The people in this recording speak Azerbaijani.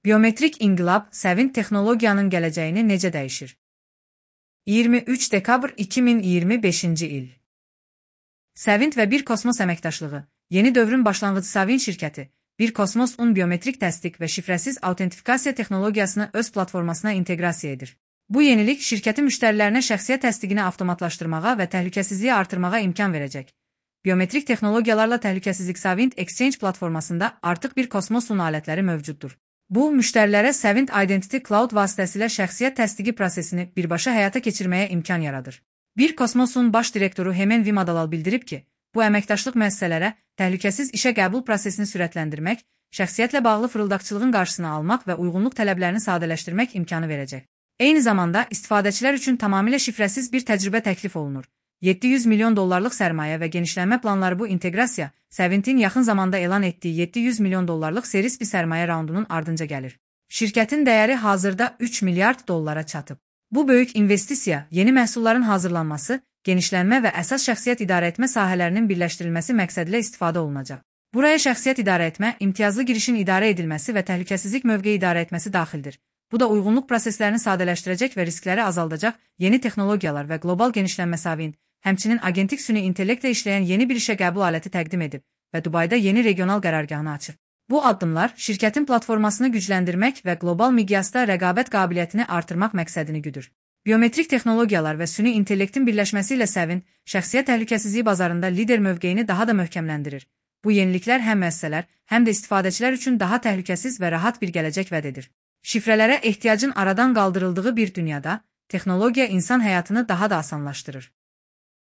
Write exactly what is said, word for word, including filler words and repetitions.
Biometrik inqilab Səvint texnologiyanın gələcəyini necə dəyişir? iyirmi üç dekabr iki min iyirmi beşinci il. Səvint və Bir Kosmos əməkdaşlığı, yeni dövrün başlanğıcı Savin şirkəti, Bir Kosmos-un biometrik təsdiq və şifrəsiz autentifikasiya texnologiyasını öz platformasına inteqrasiya edir. Bu yenilik şirkətin müştərilərinə şəxsiyyət təsdiqini avtomatlaşdırmağa və təhlükəsizliyi artırmağa imkan verəcək. Biometrik texnologiyalarla təhlükəsizlik Savint Exchange platformasında artıq Bir Kosmos-un alətləri mövcuddur. Bu, müştərilərə Savint Identity Cloud vasitəsilə şəxsiyyət təsdiqi prosesini birbaşa həyata keçirməyə imkan yaradır. Bir Kosmos-un baş direktoru Hemen Vimadalal bildirib ki, bu əməkdaşlıq müəssisələrə təhlükəsiz işə qəbul prosesini sürətləndirmək, şəxsiyyətlə bağlı fırıldaqçılığın qarşısını almaq və uyğunluq tələblərini sadələşdirmək imkanı verəcək. Eyni zamanda istifadəçilər üçün tamamilə şifrəsiz bir təcrübə təklif olunur. yeddi yüz milyon dollarlıq sərmayə və genişlənmə planları bu inteqrasiya, Səvintin yaxın zamanda elan etdiyi yeddi yüz milyon dollarlıq seris bir sərmayə raundunun ardınca gəlir. Şirkətin dəyəri hazırda üç milyard dollara çatıb. Bu böyük investisiya, yeni məhsulların hazırlanması, genişlənmə və əsas şəxsiyyət idarəetmə sahələrinin birləşdirilməsi məqsədilə istifadə olunacaq. Buraya şəxsiyyət idarəetmə, imtiyazlı girişin idarə edilməsi və təhlükəsizlik mövqeyi idarəetməsi daxildir. Bu da uyğunluq proseslərini sadələşdirəcək və riskləri azaldacaq yeni texnologiyalar və qlobal genişlənmə Savint, həmçinin agentik süni intellektlə işləyən yeni bir işə qəbul aləti təqdim edib və Dubayda yeni regional qərargahını açıb. Bu addımlar şirkətin platformasını gücləndirmək və qlobal miqyasda rəqabət qabiliyyətini artırmaq məqsədini güdür. Biometrik texnologiyalar və süni intellektin birləşməsi ilə Savint, şəxsiyyət təhlükəsizliyi bazarında lider mövqeyini daha da möhkəmləndirir. Bu yeniliklər həm müəssisələr, həm də istifadəçilər üçün daha təhlükəsiz və rahat bir gələcək vəd edir. Şifrələrə ehtiyacın aradan qaldırıldığı bir dünyada, texnologiya insan həyatını daha da asanlaşdırır.